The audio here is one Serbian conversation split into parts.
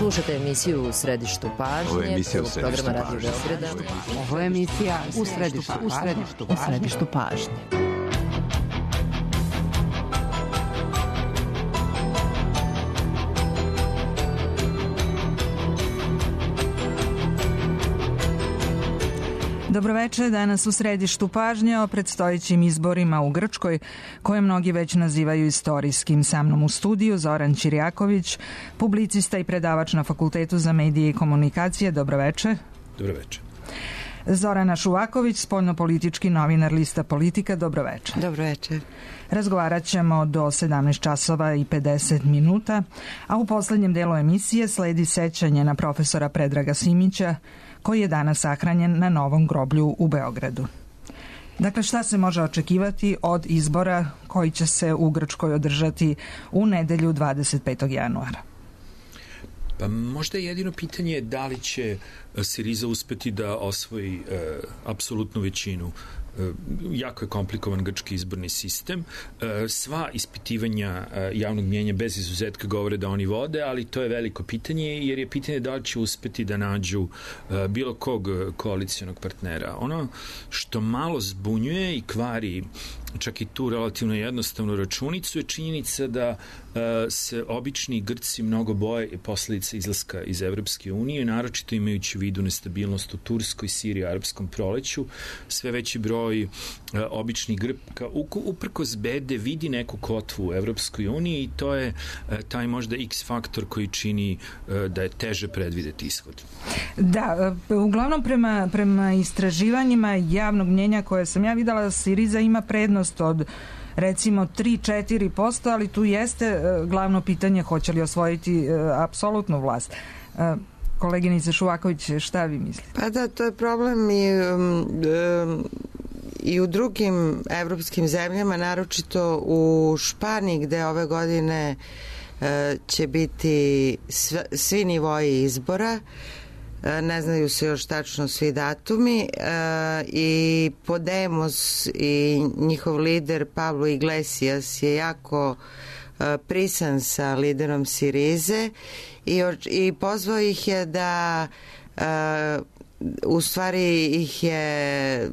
Slušate emisiju U središtu pažnje. Ovo je emisija U središtu programa Radio Beograda. Ovo je emisija U središtu pažnje. Dobroveče, danas u središtu pažnje o predstojećim izborima u Grčkoj, koje mnogi već nazivaju istorijskim. Sa mnom u studiju Zoran Ćirjaković, publicista i predavač na Fakultetu za medije i komunikacije. Dobroveče. Dobroveče. Zorana Šuvaković, spoljnopolitički novinar lista Politika. Dobroveče. Dobroveče. Razgovarat ćemo do 17 časova i 50 minuta, a u poslednjem delu emisije sledi sećanje na profesora Predraga Simića, koji je danas sahranjen na Novom groblju u Beogradu. Dakle, šta se može očekivati od izbora koji će se u Grčkoj održati u nedelju 25. januara? Pa možda je jedino pitanje da li će Siriza uspeti da osvoji apsolutnu većinu. Jako je komplikovan grčki izborni sistem. Sva ispitivanja javnog mnijenja bez izuzetka govore da oni vode, ali to je veliko pitanje, jer je pitanje da li će uspeti da nađu bilo kog koalicijonog partnera. Ono što malo zbunjuje i kvari čak i tu relativno jednostavnu računicu je činjenica da se obični Grci mnogo boje posledica izlaska iz Evropske unije, naročito imajući u vidu nestabilnost u Turskoj, Siriji, arapskom proleću. Sve veći broj običnih Grka uprkos bede vidi neku kotvu u Evropskoj uniji i to je taj možda X faktor koji čini da je teže predvideti ishod. Da, uglavnom prema istraživanjima javnog mnjenja koje sam ja videla, Siriza ima prednost od recimo 3-4%, ali tu jeste glavno pitanje hoće li osvojiti apsolutnu vlast. Koleginice Šuvaković, šta vi mislite? Pa da, to je problem i u drugim evropskim zemljama, naročito u Španiji, gde ove godine će biti svi nivoji izbora. Ne znaju se još tačno svi datumi i Podemos i njihov lider Pablo Iglesias je jako prisan sa liderom Sirize i pozvao ih je da u stvari ih je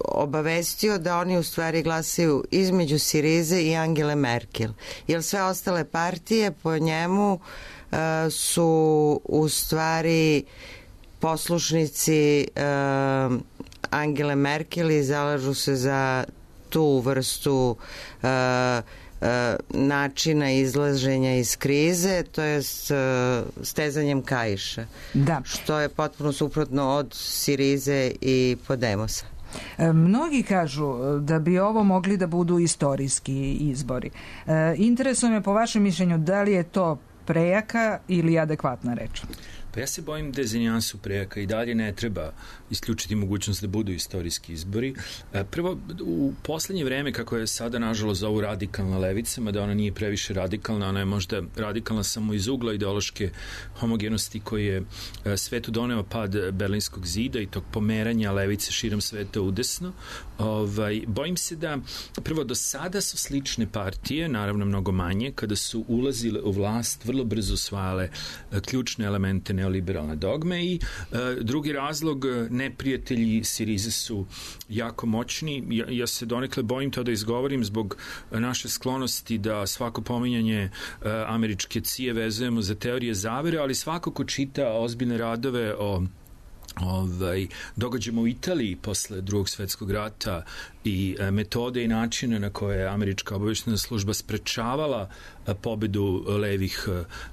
obavestio da oni u stvari glasaju između Sirize i Angele Merkel, jer sve ostale partije po njemu su u stvari poslušnici Angele Merkel i zalažu se za tu vrstu načina izlaženja iz krize, to je stezanjem kaiša, da. Što je potpuno suprotno od Sirize i Podemosa. Mnogi kažu da bi ovo mogli da budu istorijski izbori. Interesuje me po vašem mišljenju da li je to prejaka ili adekvatna reč? Pa ja se bojim da je za nijansu prejaka i dalje ne treba isključiti mogućnost da budu istorijski izbori. Prvo, u poslednje vreme, kako je sada nažalost zovu radikalna levica, mada ona nije previše radikalna, ona je možda radikalna samo iz ugla ideološke homogenosti koji je svetu doneo pad Berlinskog zida i tog pomeranja levice širom sveta udesno. Bojim se da prvo do sada su slične partije, naravno mnogo manje, kada su ulazile u vlast, vrlo brzo usvajale ključne elemente neoliberalne dogme i drugi razlog, neprijatelji Sirize su jako moćni. Ja se donekle bojim to da izgovorim zbog naše sklonosti da svako pominjanje američke CIA vezujemo za teorije zavere, ali svako ko čita ozbiljne radove o događajima u Italiji posle Drugog svetskog rata i metode i načine na koje je američka obavještajna služba sprečavala pobedu levih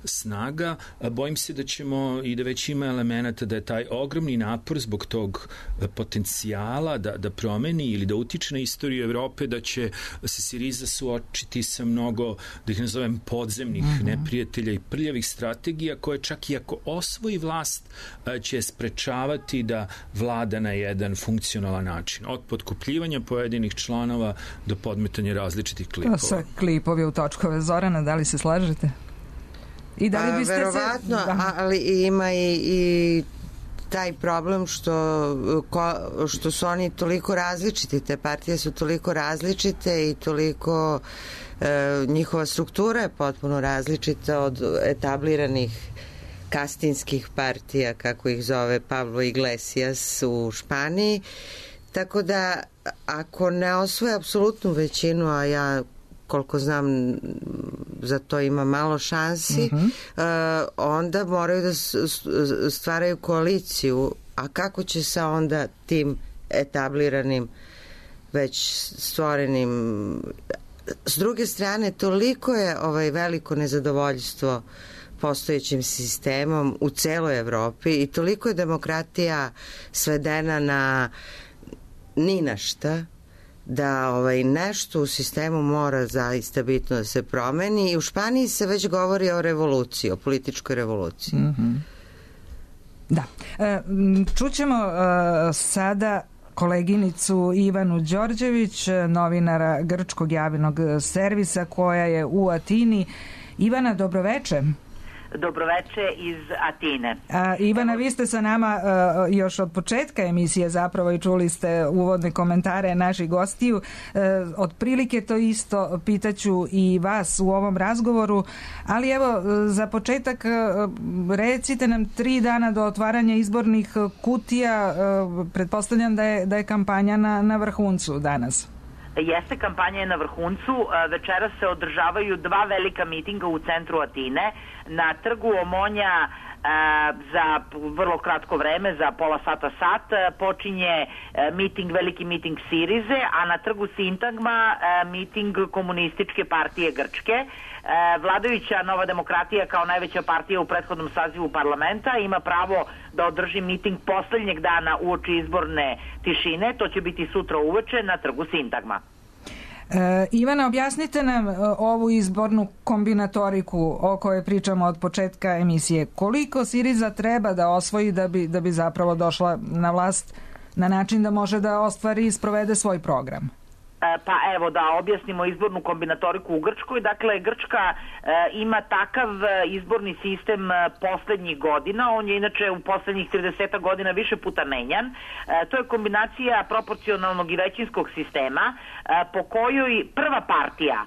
snaga, bojim se da ćemo i da već ima elemenata da je taj ogromni napor zbog tog potencijala da promeni ili da utiče na istoriju Evrope, da će se Siriza suočiti sa mnogo, da ih nazovem, podzemnih neprijatelja i prljavih strategija koje čak i ako osvoji vlast će sprečavati da vlada na jedan funkcionalan način. Od potkupljivanja pojedinih članova do podmetanja različitih klipova. To sa klipovi u točkove. Zorana, da li se slažete? I da li biste verovatno, ali ima i taj problem što su oni toliko različiti, te partije su toliko različite i toliko njihova struktura je potpuno različita od etabliranih kastinskih partija, kako ih zove Pablo Iglesias u Španiji. Tako da, ako ne osvoje apsolutnu većinu, a ja koliko znam za to ima malo šansi, onda moraju da stvaraju koaliciju. A kako će sa onda tim etabliranim, već stvorenim... S druge strane, toliko je veliko nezadovoljstvo postojećim sistemom u celoj Evropi i toliko je demokratija svedena na ni na šta, da nešto u sistemu mora zaista bitno da se promeni i u Španiji se već govori o revoluciji, o političkoj revoluciji. Da. Čućemo sada koleginicu Ivanu Đorđević, novinara Grčkog javnog servisa koja je u Atini. Ivana, dobroveče. Dobroveče iz Atine. Ivana, vi ste sa nama još od početka emisije zapravo i čuli ste uvodne komentare naših gostiju. Otprilike to isto pitaću i vas u ovom razgovoru, ali evo za početak recite nam 3 dana do otvaranja izbornih kutija. Pretpostavljam da je kampanja na vrhuncu danas. Jeste, kampanja je na vrhuncu. Večeras se održavaju 2 velika mitinga u centru Atine. Na trgu Omonja za vrlo kratko vreme, za pola sat, počinje veliki miting Sirize, a na trgu Sintagma miting Komunističke partije Grčke. Vladajuća Nova demokratija kao najveća partija u prethodnom sazivu parlamenta ima pravo da održi miting poslednjeg dana uoči izborne tišine. To će biti sutra uveče na trgu Sintagma. Ivana, objasnite nam ovu izbornu kombinatoriku o kojoj pričamo od početka emisije. Koliko Siriza treba da osvoji da bi zapravo došla na vlast na način da može da ostvari i sprovede svoj program? Pa evo da objasnimo izbornu kombinatoriku u Grčkoj. Dakle, Grčka ima takav izborni sistem poslednjih godina. On je inače u poslednjih 30 godina više puta menjan. To je kombinacija proporcionalnog i većinskog sistema po kojoj prva partija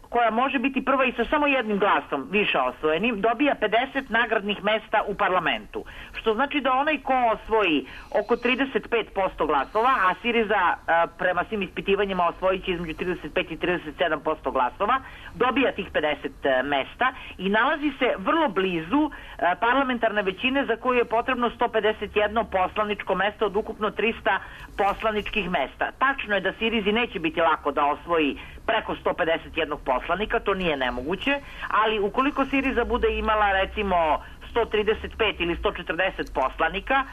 koja može biti prva i sa samo jednim glasom više osvojenim, dobija 50 nagradnih mesta u parlamentu. Što znači da onaj ko osvoji oko 35% glasova, a Siriza prema svim ispitivanjima osvojit će između 35 i 37% glasova, dobija tih 50 mesta i nalazi se vrlo blizu parlamentarne većine za koju je potrebno 151 poslaničko mesto od ukupno 300 poslaničkih mesta. Tačno je da Sirizi neće biti lako da osvoji preko 151 poslanika, to nije nemoguće, ali ukoliko Siriza bude imala recimo 135 ili 140 poslanika,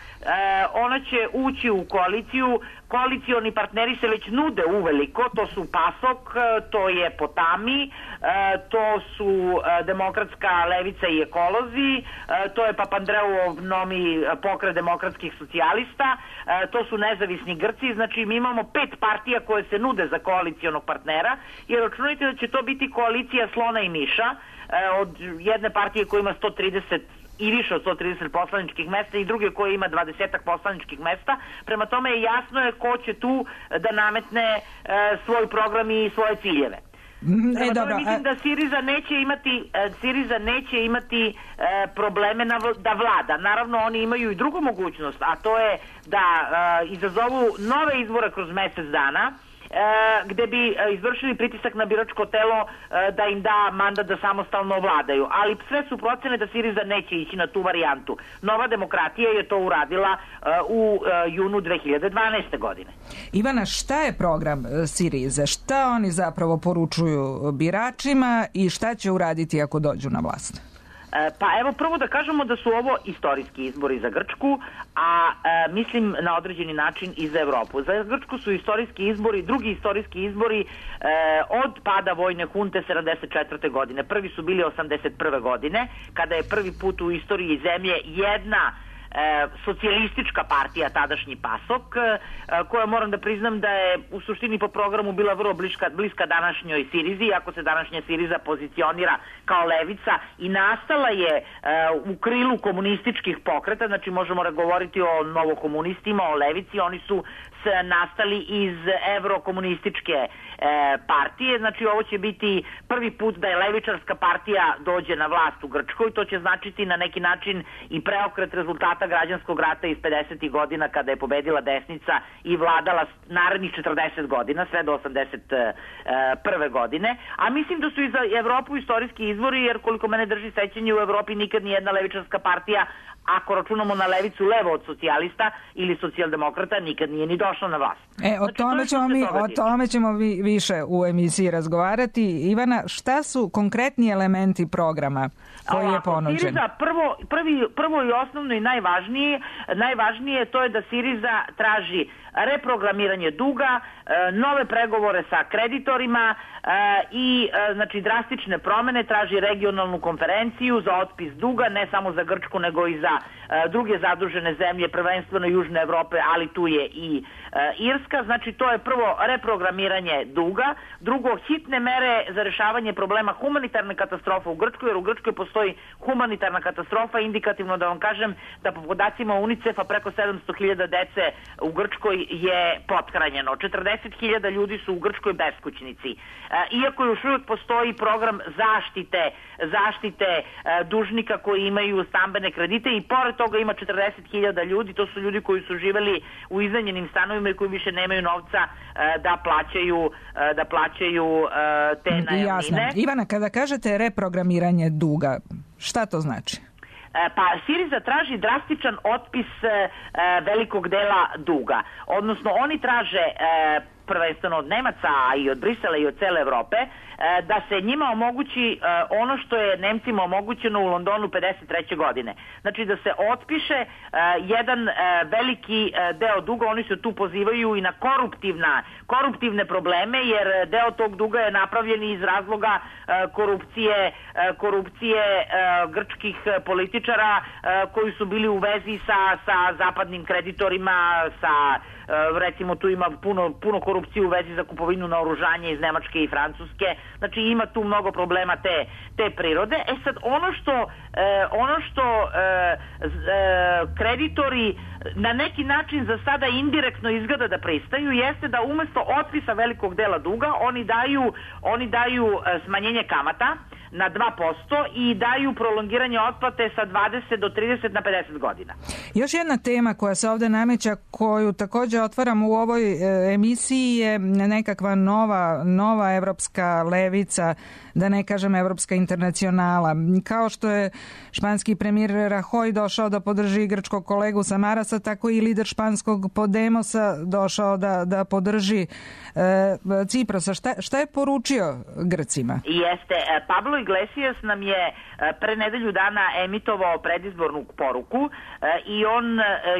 ona će ući u koaliciju. Koalicioni partneri se već nude uveliko, to su PASOK, to je Potami, to su Demokratska levica i ekolozi, to je Papandreouov novi pokret demokratskih socijalista, to su nezavisni Grci. Znači mi imamo 5 partija koje se nude za koalicionog partnera i računajte da će to biti koalicija slona i miša od jedne partije koja ima 130 i više od 130 poslaničkih mesta i druge koje ima 20 poslaničkih mesta. Prema tome jasno je ko će tu da nametne svoj program i svoje ciljeve. Mislim da Siriza neće imati probleme da vlada. Naravno oni imaju i drugu mogućnost, a to je da izazovu nove izbore kroz mesec dana, gde bi izvršili pritisak na biračko telo da im da mandat da samostalno vladaju. Ali sve su procene da Siriza neće ići na tu varijantu. Nova demokratija je to uradila u junu 2012. godine. Ivana, šta je program Sirize? Šta oni zapravo poručuju biračima i šta će uraditi ako dođu na vlast? Pa evo prvo da kažemo da su ovo istorijski izbori za Grčku, a mislim na određeni način i za Evropu. Za Grčku su istorijski izbori, drugi istorijski izbori od pada vojne hunte 74. godine. Prvi su bili 81. godine, kada je prvi put u istoriji zemlje jedna socijalistička partija, tadašnji PASOK, koja moram da priznam da je u suštini po programu bila vrlo bliska današnjoj Sirizi, ako se današnja Siriza pozicionira kao levica i nastala je u krilu komunističkih pokreta, znači možemo govoriti o novokomunistima, o levici, oni su nastali iz evrokomunističke partije, znači ovo će biti prvi put da je levičarska partija dođe na vlast u Grčkoj, to će značiti na neki način i preokret rezultata građanskog rata iz 50. godina kada je pobedila desnica i vladala narednih 40 godina, sve do 81. godine, a mislim da su i za Evropu istorijski izvori, jer koliko mene drži sećanje, u Evropi nikad nijedna levičarska partija, ako računamo na levicu levo od socijalista ili socijaldemokrata, nikad nije ni došla na vlast. O tome ćemo više u emisiji razgovarati. Ivana, šta su konkretni elementi programa koji je ponuđen? Siriza, prvo i osnovno i najvažnije to je da Siriza traži reprogramiranje duga, nove pregovore sa kreditorima i znači drastične promene, traži regionalnu konferenciju za otpis duga, ne samo za Grčku nego i za druge zadužene zemlje, prvenstveno Južne Evrope, ali tu je i Irska. Znači to je prvo reprogramiranje duga, drugo hitne mere za rešavanje problema humanitarne katastrofe u Grčkoj, jer u Grčkoj postoji humanitarna katastrofa, indikativno da vam kažem da po podacima UNICEF-a preko 700.000 dece u Grčkoj je pothranjeno. 40.000 ljudi su u Grčkoj beskućnici. Iako još uvijek postoji program zaštite dužnika koji imaju stambene kredite i pored toga ima 40.000 ljudi, to su ljudi koji su živeli u iznajmljenim stanovima i koji više nemaju novca da plaćaju te najamnine. Jasno. Ivana, kada kažete reprogramiranje duga, šta to znači? Pa Siriza traži drastičan otpis velikog dela duga. Odnosno oni traže prvenstveno od Nemaca, a i od Brisela i od cele Evrope, da se njima omogući ono što je Nemcima omogućeno u Londonu 53. godine. Znači da se otpiše jedan veliki deo duga, oni se tu pozivaju i na koruptivne probleme, jer deo tog duga je napravljen iz razloga korupcije grčkih političara koji su bili u vezi sa zapadnim kreditorima, recimo tu ima puno korupcije u vezi za kupovinu naoružanja iz Nemačke i Francuske. Znači ima tu mnogo problema te prirode. Sad ono što kreditori na neki način za sada indirektno izgleda da pristaju jeste da umesto otpisa velikog dela duga oni daju smanjenje kamata na 2% i daju prolongiranje otplate sa 20 do 30 na 50 godina. Još jedna tema koja se ovde nameća, koju takođe otvaram u ovoj emisiji, je nekakva nova evropska levica, da ne kažem evropska internacionala. Kao što je španski premijer Rajoy došao da podrži grčkog kolegu Samarasa, tako i lider španskog Podemosa došao da podrži Ciprosa. Šta je poručio Grcima? Jeste, Pablo Iglesias nam je pre nedelju dana emitovao predizbornu poruku i on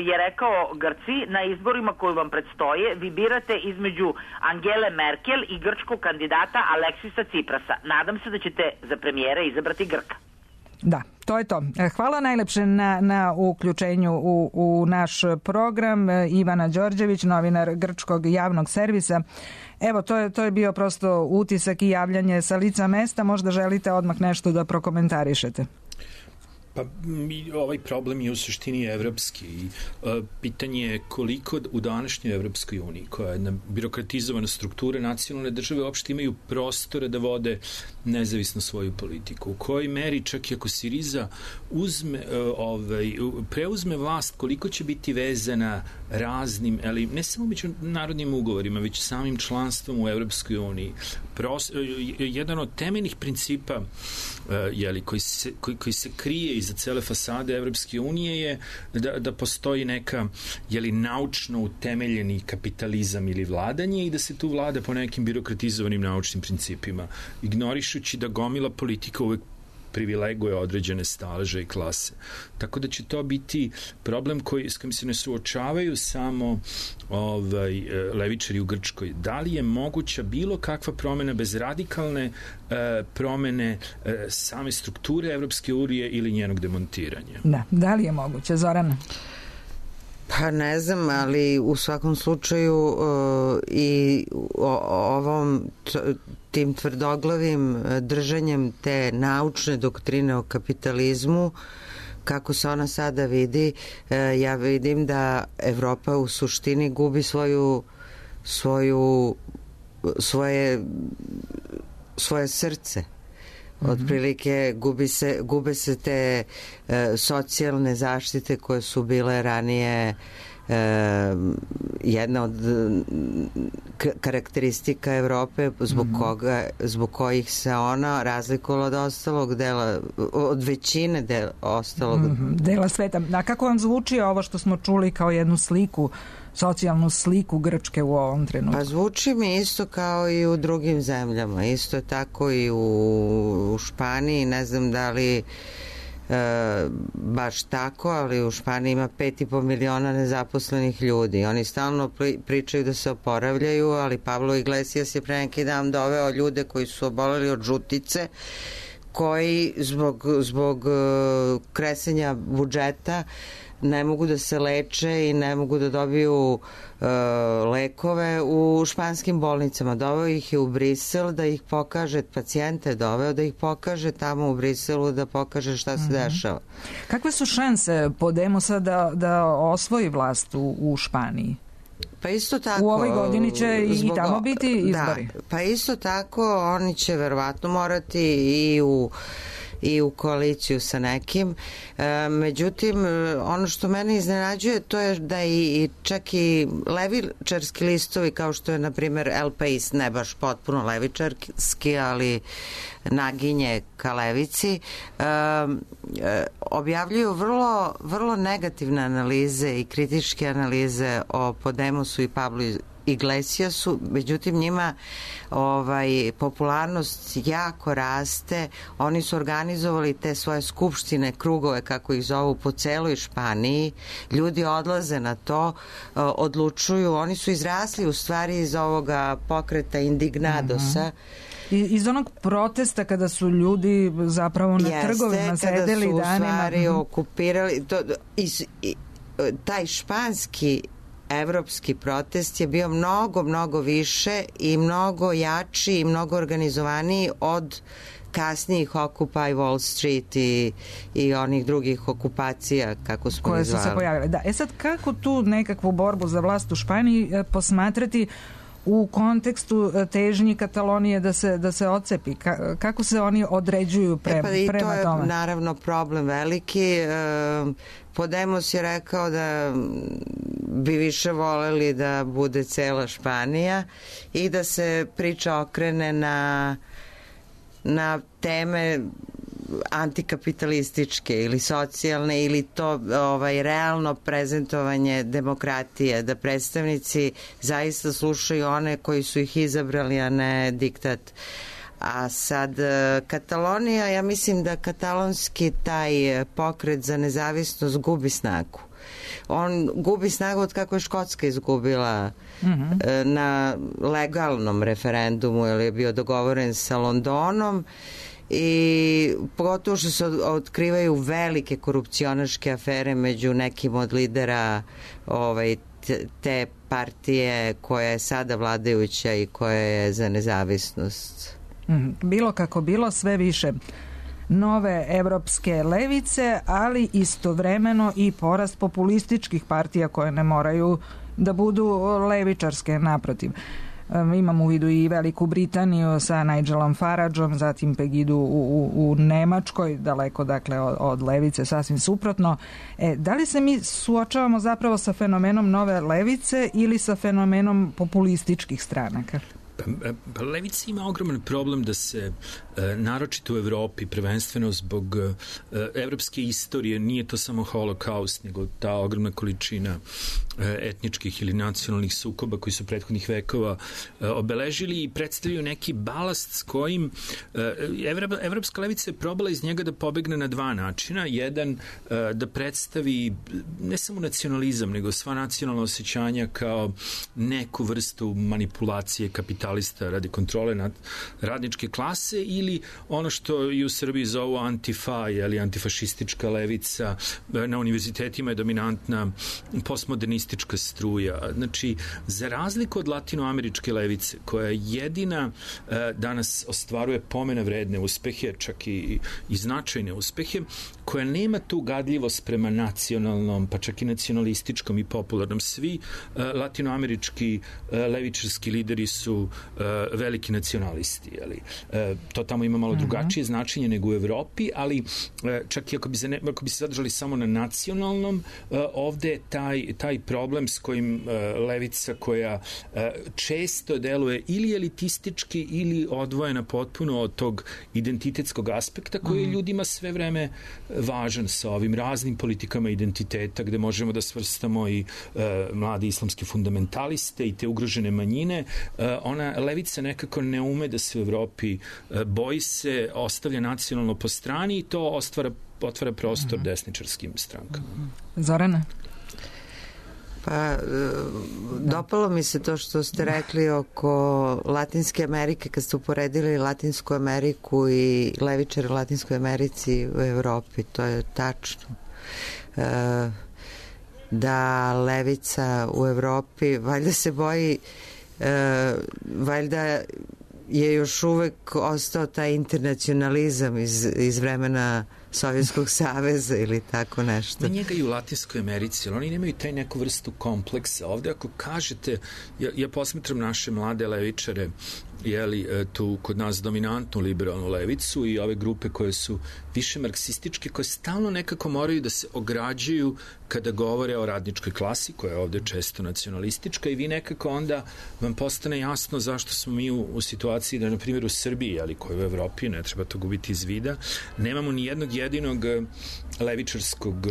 je rekao: Grci, na izborima koji vam predstoje vi birate između Angele Merkel i grčkog kandidata Aleksisa Ciprasa. Nadam se da ćete za premijera izabrati Grka. Da, to je to. Hvala najlepše na uključenju u naš program. Ivana Đorđević, novinar Grčkog javnog servisa. Evo, to je bio prosto utisak i javljanje sa lica mesta. Možda želite odmah nešto da prokomentarišete. Pa ovaj problem je u suštini evropski i pitanje je koliko u današnjoj Evropskoj uniji, koja je birokratizovana struktura, nacionalne države uopšte imaju prostora da vode nezavisno svoju politiku. U kojoj meri, čak i ako Siriza preuzme vlast, koliko će biti vezana raznim, ali ne samo međunarodnim ugovorima, već samim članstvom u Evropskoj uniji. Jedan od temeljnih principa koji se krije iza cele fasade Evropske unije je da postoji neka naučno utemeljeni kapitalizam ili vladanje i da se tu vlada po nekim birokratizovanim naučnim principima, ignorišući da gomila politika uvek privileguje određene staleže i klase. Tako da će to biti problem s kojim se ne suočavaju samo levičari u Grčkoj. Da li je moguća bilo kakva promena bez radikalne promene same strukture Evropske unije ili njenog demontiranja? Da li je moguće, Zorana? Pa ne znam, ali u svakom slučaju i tim tvrdoglavim držanjem te naučne doktrine o kapitalizmu, kako se ona sada vidi, ja vidim da Evropa u suštini gubi svoje srce. Otprilike gube se te socijalne zaštite koje su bile ranije jedna od karakteristika Evrope zbog kojih se ona razlikovala od ostalog dela, od većine ostalog dela sveta. A kako vam zvuči ovo što smo čuli kao jednu sliku, socijalnu sliku Grčke u ovom trenutku? Pa zvuči mi isto kao i u drugim zemljama. Isto je tako i u Španiji. Ne znam da li baš tako, ali u Španiji ima 5,5 miliona nezaposlenih ljudi. Oni stalno pričaju da se oporavljaju, ali Pablo Iglesias je pre neki dan doveo ljude koji su oboleli od žutice, koji zbog kresenja budžeta ne mogu da se leče i ne mogu da dobiju lekove u španskim bolnicama. Doveo ih je u Brisel da ih pokaže, pacijente doveo da ih pokaže tamo u Briselu, da pokaže šta se dešava. Kakve su šanse Podemosa da osvoji vlast u Španiji? Pa isto tako. U ovoj godini će i tamo biti izbori. Da, pa isto tako oni će verovatno morati i u koaliciju sa nekim. Međutim, ono što mene iznenađuje to je da čak i levičarski listovi kao što je na primjer El País, ne baš potpuno levičarski, ali naginje ka levici, objavljuju vrlo negativne analize i kritičke analize o Podemosu i Pablo Iglesiasu, međutim njima popularnost jako raste. Oni su organizovali te svoje skupštine, krugove kako ih zovu, po celoj Španiji. Ljudi odlaze na to, odlučuju. Oni su izrasli u stvari iz ovoga pokreta Indignadosa. Iz onog protesta kada su ljudi zapravo na trgovima sedeli danima. Kada su u stvari okupirali taj španski evropski protest je bio mnogo više i mnogo jači i mnogo organizovaniji od kasnijih Occupy Wall Street i onih drugih okupacija kako smo koje su se pojavile. Da, sad kako tu nekakvu borbu za vlast u Španiji posmatrati u kontekstu težnji Katalonije da se odcepi? Kako se oni određuju prema tome? I to je naravno problem veliki. Podemos je rekao da bi više voleli da bude cela Španija i da se priča okrene na teme antikapitalističke ili socijalne ili to realno prezentovanje demokratije, da predstavnici zaista slušaju one koji su ih izabrali, a ne diktat. A sad Katalonija, ja mislim da katalonski taj pokret za nezavisnost gubi snagu. On gubi snagu od kako je Škotska izgubila na legalnom referendumu, jer je bio dogovoren sa Londonom, i pogotovo što se otkrivaju velike korupcionaške afere među nekim od lidera te partije koja je sada vladajuća i koja je za nezavisnost. Bilo kako bilo, sve više nove evropske levice, ali istovremeno i porast populističkih partija koje ne moraju da budu levičarske, naprotiv. Imam u vidu i Veliku Britaniju sa Nigelom Farageom, zatim Pegidu u Nemačkoj, daleko dakle od levice, sasvim suprotno. Da li se mi suočavamo zapravo sa fenomenom nove levice ili sa fenomenom populističkih stranaka? Levica ima ogroman problem da se, naročito u Evropi, prvenstveno zbog evropske istorije, nije to samo holokaust, nego ta ogromna količina etničkih ili nacionalnih sukoba koji su prethodnih vekova obeležili i predstavljaju neki balast s kojim evropska levica je probala iz njega da pobegne na dva načina. Jedan, da predstavi ne samo nacionalizam, nego sva nacionalna osjećanja kao neku vrstu manipulacije kapitalista radi kontrole nad radničke klase, ili ono što i u Srbiji zovu antifa, ili antifašistička levica. Na univerzitetima je dominantna postmodernistička struja. Znači, za razliku od latinoameričke levice, koja jedina danas ostvaruje pomena vredne uspehe, čak i značajne uspehe, koja nema tu gadljivost prema nacionalnom, pa čak i nacionalističkom i popularnom. Svi latinoamerički levičarski lideri su veliki nacionalisti. To tamo ima malo drugačije značenje nego u Evropi, ali čak i ako bi se zadržali samo na nacionalnom, ovde je taj problem s kojim levica, koja često deluje ili elitistički ili odvojena potpuno od tog identitetskog aspekta koji je ljudima sve vreme važan sa ovim raznim politikama identiteta, gde možemo da svrstamo i mladi islamski fundamentaliste i te ugrožene manjine. Ona levica nekako ne ume da se u Evropi boji se, ostavlja nacionalno po strani i to otvara prostor desničarskim strankama. Zorana? Pa, dopalo mi se to što ste rekli oko Latinske Amerike, kad ste uporedili Latinsku Ameriku i levičare u Latinskoj Americi u Evropi. To je tačno. Da levica u Evropi valjda se boji, valjda je još uvek ostao taj internacionalizam iz vremena Sovjetskog saveza ili tako nešto. Na njega i u Latinskoj Americi, ali oni nemaju taj neku vrstu kompleksa. Ovde ako kažete, ja posmetram naše mlade levičare, tu kod nas dominantnu liberalnu levicu i ove grupe koje su više marksističke, koje stalno nekako moraju da se ograđuju kada govore o radničkoj klasi, koja je ovde često nacionalistička, i vi nekako onda vam postane jasno zašto smo mi u situaciji da, na primjer, u Srbiji, ali koji u Evropi, ne treba to gubiti iz vida, nemamo ni jednog jedinog levičarskog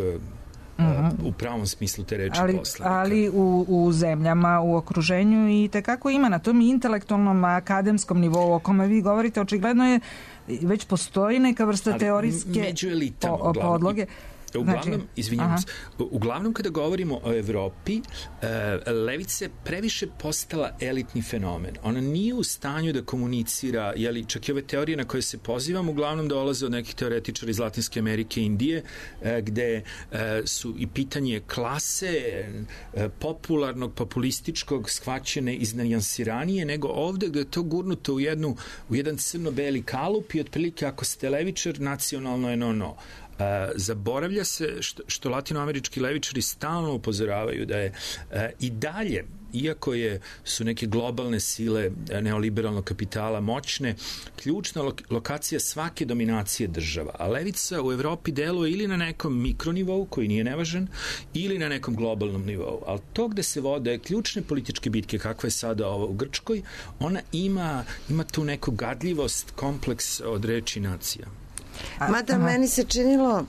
u pravom smislu te reči poslanika. Ali u zemljama, u okruženju i tekako ima na tom intelektualnom akademskom nivou o kome vi govorite, očigledno je već postoji neka vrsta teorijske podloge. Uglavnom kada govorimo o Evropi, levica je previše postala elitni fenomen. Ona nije u stanju da komunicira, čak i ove teorije na koje se pozivam uglavnom dolaze od nekih teoretičara iz Latinske Amerike i Indije, gde su i pitanje klase, popularnog, populističkog, shvaćene iznanijansiranije, nego ovde gde je to gurnuto u jedan crno-beli kalup i otprilike ako ste levičar, nacionalno je no. Zaboravlja se što latinoamerički levičari stalno upozoravaju da je i dalje, iako su neke globalne sile neoliberalnog kapitala moćne, ključna lokacija svake dominacije država. A levica u Evropi deluje ili na nekom mikronivou, koji nije nevažan, ili na nekom globalnom nivou. Ali to gde se vode ključne političke bitke, kakva je sada ova u Grčkoj, ona ima tu neku gadljivost, kompleks od reči nacija. Mada meni se činilo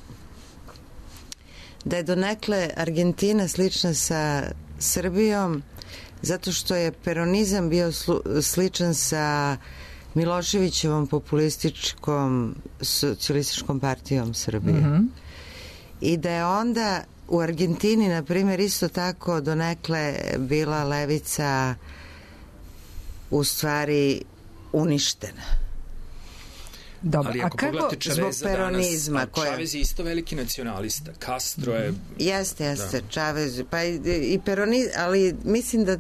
da je donekle Argentina slična sa Srbijom, zato što je peronizam bio sličan sa Miloševićevom populističkom socijalističkom partijom Srbije. I da je onda u Argentini, na primjer, isto tako donekle bila levica u stvari uništena. Dobro, ali ako pogledate Čaveza danas, Čavez je isto veliki nacionalista. Castro je... Jeste, Čavez, pa i peronizam, ali mislim da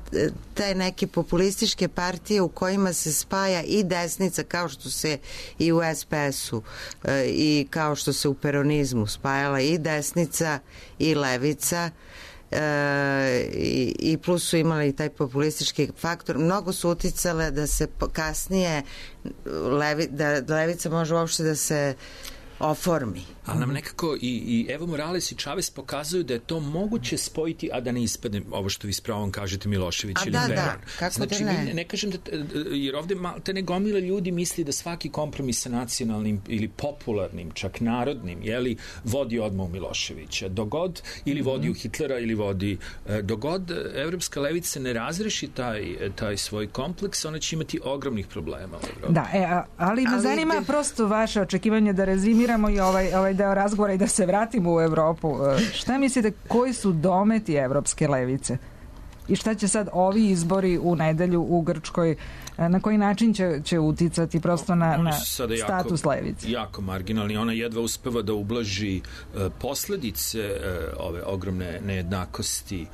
te neke populističke partije u kojima se spaja i desnica, kao što se i u SPS-u i kao što se u peronizmu spajala i desnica i levica, i plus su imali taj populistički faktor, mnogo su uticale da se kasnije da levica može uopšte da se oformi. Ali nam nekako i Evo Morales i Chavez pokazuju da je to moguće spojiti, a da ne ispadne ovo što vi s pravom kažete Milošević ili Beran. Da, kako znači, da ne? Ne kažem da, jer ovde te ne gomila ljudi misli da svaki kompromis sa nacionalnim ili popularnim, čak narodnim, jeli, vodi odmah u Miloševića. Dogod ili vodi u Hitlera ili vodi, dogod evropska levica ne razreši taj svoj kompleks, ona će imati ogromnih problema u Evropi. Da, ali me zanima prosto vaše očekivanje da rezimiramo i ovaj deo razgovora i da se vratimo u Evropu. Šta mislite, koji su dometi evropske levice? I šta će sad ovi izbori u nedelju u Grčkoj, na koji način će uticati prosto na status levice? Jako marginalni. Ona jedva uspeva da ublaži posledice ove ogromne nejednakosti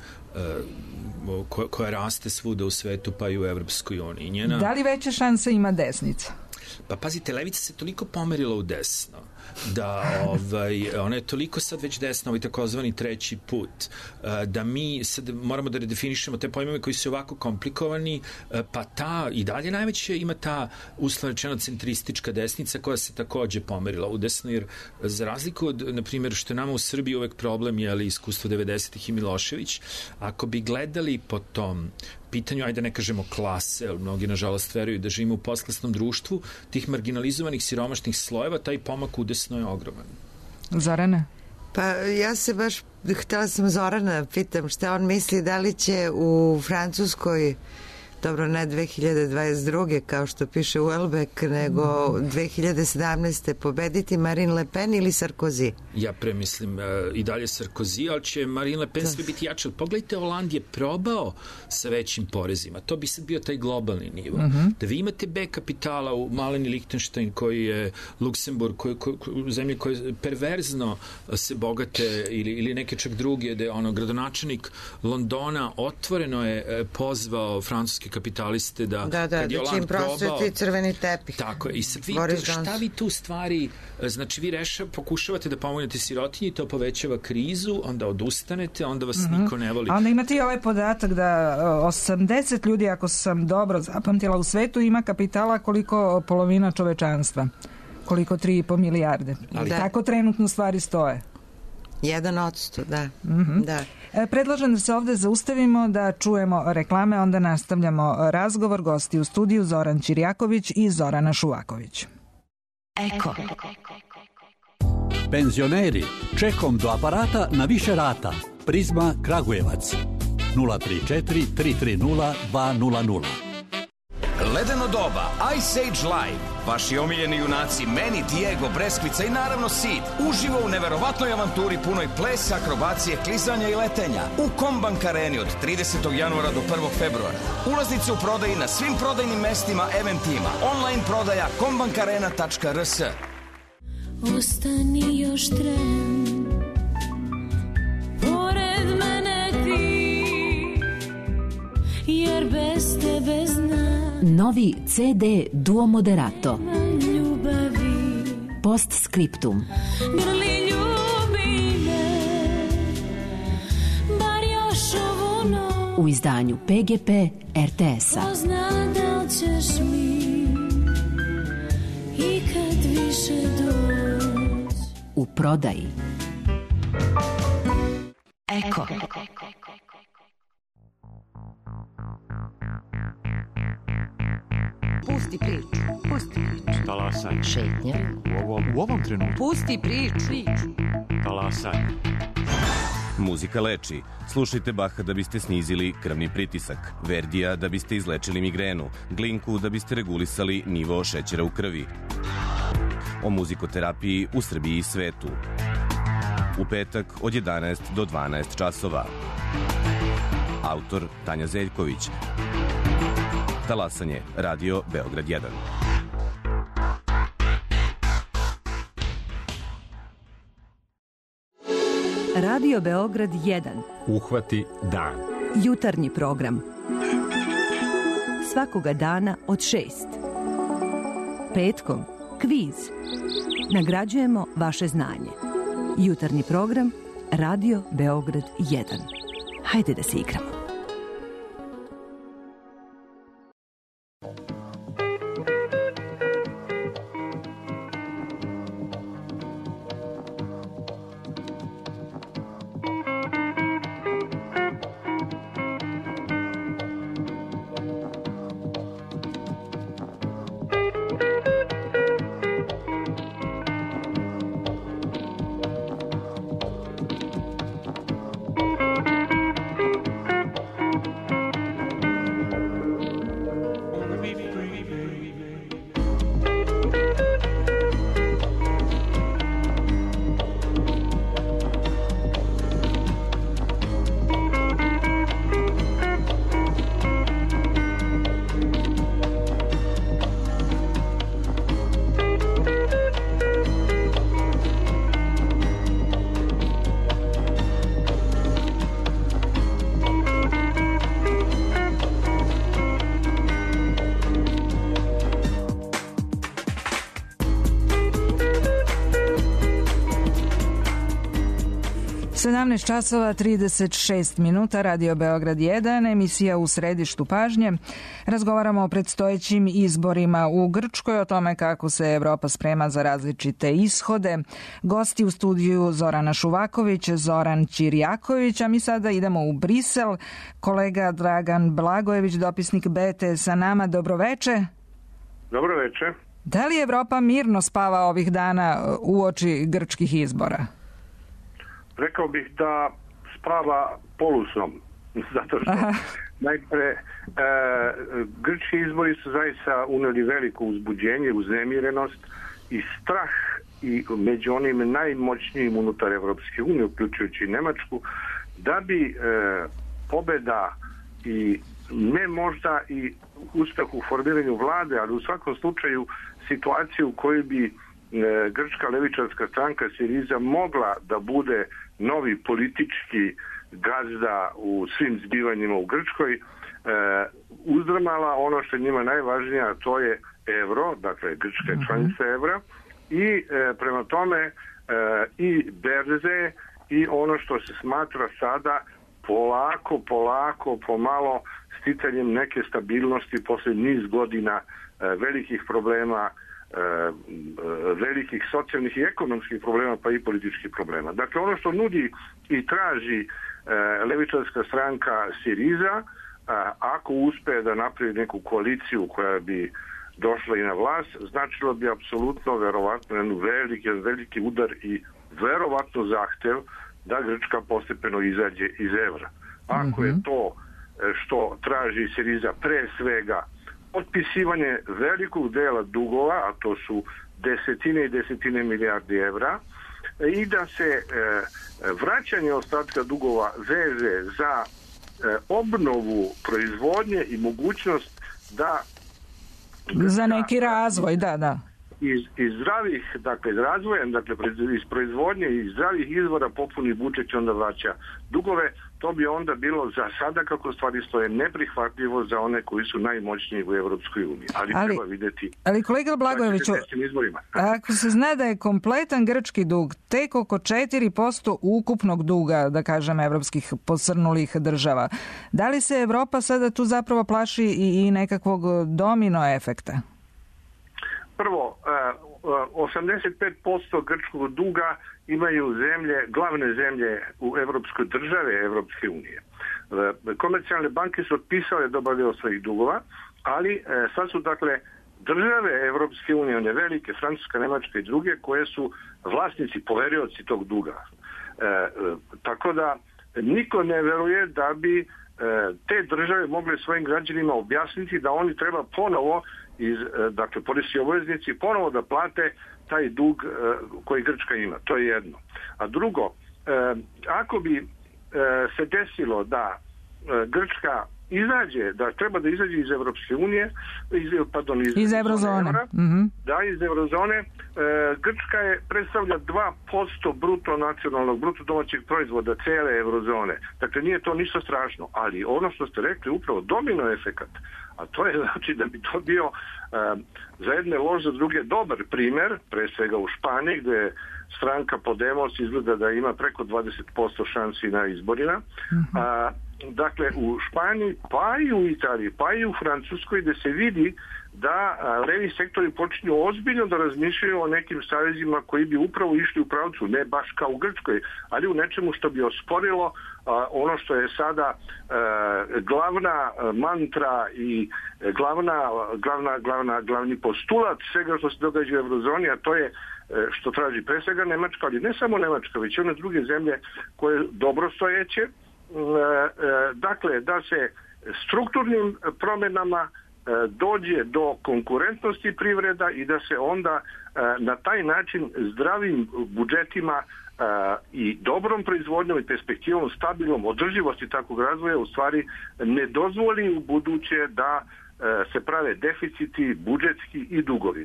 koja raste svuda u svetu, pa i u Evropskoj uniji. Da li veće šanse ima desnica? Pa pazite, levica se toliko pomerila u desno da ona je toliko sad već desna, ovaj takozvani treći put, da mi sad moramo da redefinišemo te pojmove koji su ovako komplikovani, pa ta i dalje najveće ima ta uslovno rečeno centristička desnica koja se takođe pomerila u desno, jer za razliku od, na primjer, što je nama u Srbiji uvek problem je iskustvo 90-ih i Milošević, ako bi gledali po tom pitanju, ajde ne kažemo klase, jer mnogi nažalost veruju da živimo u postklasnom društvu, tih marginalizovanih siromašnih slojeva, taj pomak udesno je ogroman. Zorana? Pa ja se baš htjela sam Zorana pitam šta on misli, da li će u Francuskoj, dobro ne 2022. kao što piše Welbeck, nego 2017. pobediti Marine Le Pen ili Sarkozy? Ja premislim i dalje Sarkozy, ali će Marine Le Pen sve biti jače. Pogledajte, Holand je probao sa većim porezima. To bi sad bio taj globalni nivo. Da vi imate B kapitala u Maleni Lichtenstein, koji je Luksemburg, zemlje koje perverzno se bogate, ili neke čak druge, da je gradonačelnik Londona otvoreno je pozvao francuske kapitaliste da kad je Holand probao crveni tepih. Tako je. I sad šta vi tu stvari, znači vi pokušavate da pomognete sirotinji, to povećava krizu, onda odustanete, onda vas niko ne voli. A onda imate i ovaj podatak da 80 ljudi, ako sam dobro zapamtila, u svetu ima kapitala koliko polovina čovečanstva. Koliko 3,5 milijarde. Tako trenutno stvari stoje. 1%, da. Da. Predlažem da se ovde zaustavimo, da čujemo reklame, onda nastavljamo razgovor. Gosti u studiju Zoran Ćirjaković i Zorana Šuvaković. Eko. Penzioneri, čekom do aparata na više rata. Prizma Kragujevac 034 330 200. Ledeno doba, Ice Age Live, vaši omiljeni junaci Manny, Diego, Breskvica i naravno Sid, uživo u neverovatnoj avanturi punoj plesa, akrobacije, klizanja i letenja u Kombank Areni od 30. januara do 1. februara. Ulaznice u prodaji na svim prodajnim mestima, eventima, online prodaja kombankarena.rs. Ostani još tren, pored mene ti, jer bez tebe znam. Novi CD Duo Moderato. Postscriptum. Grli ljubi me, bar još ovu noć. U izdanju PGP RTS-a. Ko zna da li ćeš mi ikad više doći. U prodaji. Eko. Pusti priču. Talasaj. Šetnja. U ovom trenutku. Pusti priču. Talasaj. Muzika leči. Slušajte Baha da biste snizili krvni pritisak, Verdija da biste izlečili migrenu, Glinku da biste regulisali nivo šećera u krvi. O muzikoterapiji u Srbiji i svetu. U petak od 11 do 12 časova. Autor Tanja Zeljković. Talasanje, Radio Beograd 1. Radio Beograd 1. Uhvati dan. Jutarnji program. Svakoga dana od 6. Petkom kviz. Nagrađujemo vaše znanje. Jutarnji program Radio Beograd 1. Hajde da se igramo. 17 časova 36 minuta, Radio Beograd 1, emisija U središtu pažnje. Razgovaramo o predstojećim izborima u Grčkoj, o tome kako se Evropa sprema za različite ishode. Gosti u studiju Zorana Šuvaković, Zoran Ćirjaković, a mi sada idemo u Brisel. Kolega Dragan Blagojević, dopisnik BT sa nama. Dobroveče. Dobroveče. Da li Evropa mirno spava ovih dana uoči grčkih izbora? Rekao bih da spava polusnom, zato što najpre grčki izbori su zaista uneli veliko uzbuđenje, uznemirenost i strah i među onim najmoćnijim unutar Evropske unije, uključujući Nemačku, da bi pobeda i ne možda i uspeh u formiranju vlade, ali u svakom slučaju situaciju u kojoj bi grčka levičarska stranka Siriza mogla da bude novi politički gazda u svim zbivanjima u Grčkoj, uzdrmala ono što je njima najvažnije, a to je evro, dakle Grčka je članica evra, i prema tome i berze i ono što se smatra sada polako, pomalo sticanjem neke stabilnosti posle niz godina velikih problema, velikih socijalnih i ekonomskih problema, pa i političkih problema. Dakle, ono što nudi i traži levičarska stranka Siriza, ako uspe da napravi neku koaliciju koja bi došla i na vlast, značilo bi apsolutno, verovatno, jedan veliki udar i verovatno zahtev da Grčka postepeno izađe iz evra. Ako je to što traži Siriza pre svega otpisivanje velikog dela dugova, a to su desetine i desetine milijardi evra, i da se vraćanje ostatka dugova veže za obnovu proizvodnje i mogućnost da za neki razvoj, da. Iz zdravih, dakle, razvoja, dakle, iz proizvodnje i zdravih izvora popuni budžet i onda vraća dugove. To bi onda bilo za sada, kako stvari stoje, neprihvatljivo za one koji su najmoćniji u Evropskoj uniji. Ali treba videti. Ali kolega Blagojeviću, ako se zna da je kompletan grčki dug tek oko 4% ukupnog duga, da kažem, evropskih posrnulih država, da li se Evropa sada tu zapravo plaši i nekakvog domino efekta? Prvo, 85% grčkog duga imaju glavne zemlje u evropskoj države, Evropske unije. Komercijalne banke su otpisale dobar deo svojih dugova, ali sad su, dakle, države Evropske unije, one velike, Francuska, Nemačka i druge, koje su vlasnici, poverioci tog duga. Tako da niko ne veruje da bi te države mogle svojim građanima objasniti da oni treba ponovo dakle, poreski obveznici ponovo da plate taj dug koji Grčka ima. To je jedno. A drugo, ako bi se desilo da Grčka izađe, da treba da izađe iz Evropske unije, iz eurozone. Da, iz eurozone, Grčka predstavlja 2% bruto domaćeg proizvoda cele eurozone. Dakle, nije to ništa strašno, ali ono što ste rekli, upravo domino efekat, a to je znači da bi to bio za jedne lož, za druge dobar primer, pre svega u Španiji, gde stranka Podemos izgleda da ima preko 20% šansi na izborima. Dakle, u Španiji, pa i u Italiji, pa i u Francuskoj, gde se vidi da levi sektori počinju ozbiljno da razmišljaju o nekim savezima koji bi upravo išli u pravcu, ne baš kao u Grčkoj, ali u nečemu što bi osporilo ono što je sada glavna mantra i glavni postulat svega što se događa u eurozoni, a to je što traži pre svega Nemačka, ali ne samo Nemačka, već i one druge zemlje koje dobro stojeće, dakle, da se strukturnim promjenama dođe do konkurentnosti privreda i da se onda na taj način zdravim budžetima i dobrom proizvodnjom i perspektivom, stabilnom održivosti takvog razvoja u stvari ne dozvoli u buduće da se prave deficiti, budžetski i dugovi.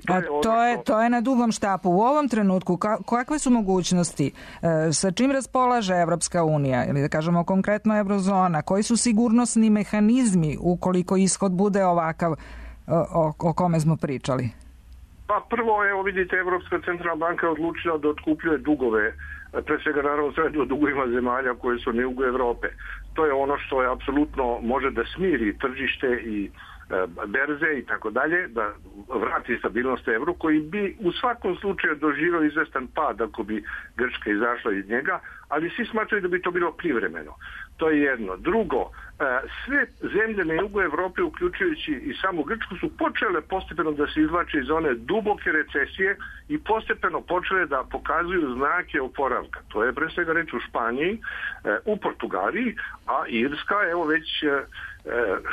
To je na dugom štapu. U ovom trenutku kakve su mogućnosti? Sa čim raspolaže Evropska unija? Ili da kažemo konkretno eurozona? Koji su sigurnosni mehanizmi ukoliko ishod bude ovakav o kome smo pričali? Pa prvo, evo vidite, Evropska centralna banka je odlučila da otkupljuje dugove, pre svega naravno sve o dugovima zemalja koje su na jugu Evrope. To je ono što je apsolutno može da smiri tržište i berze i tako dalje, da vrati stabilnost evru, koji bi u svakom slučaju doživio izvestan pad ako bi Grčka izašla iz njega, ali svi smatraju da bi to bilo privremeno. To je jedno. Drugo, sve zemlje na jugu Evrope, uključujući i samu Grčku, su počele postepeno da se izvlače iz one duboke recesije i postepeno počele da pokazuju znake oporavka. To je pre svega reč u Španiji, u Portugaliji, a Irska, evo već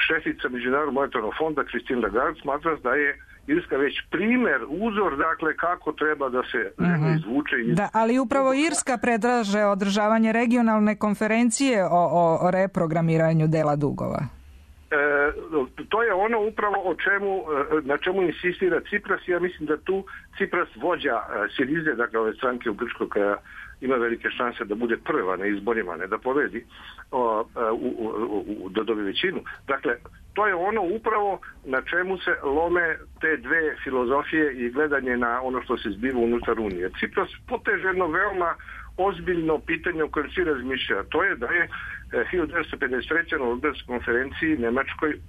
šefica Međunarodnog monetarnog fonda Christine Lagarde smatra da je Irska već primer, uzor, dakle, kako treba da se izvuče iz... Da, ali upravo Irska predlaže održavanje regionalne konferencije o reprogramiranju dela dugova. To je ono upravo na čemu insistira Cipras. Ja mislim da tu Cipras vođa Sirize, dakle ove stranke u Grčkoj, koja ima velike šanse da bude prva na izborima, ne da pobedi, da dobije većinu. Dakle, to je ono upravo na čemu se lome te dve filozofije i gledanje na ono što se zbiva unutar Unije. Cipras poteže jedno veoma ozbiljno pitanje o kojem svi razmišljaju. To je da je 1953. na Londonskoj konferenciji Nemačkoj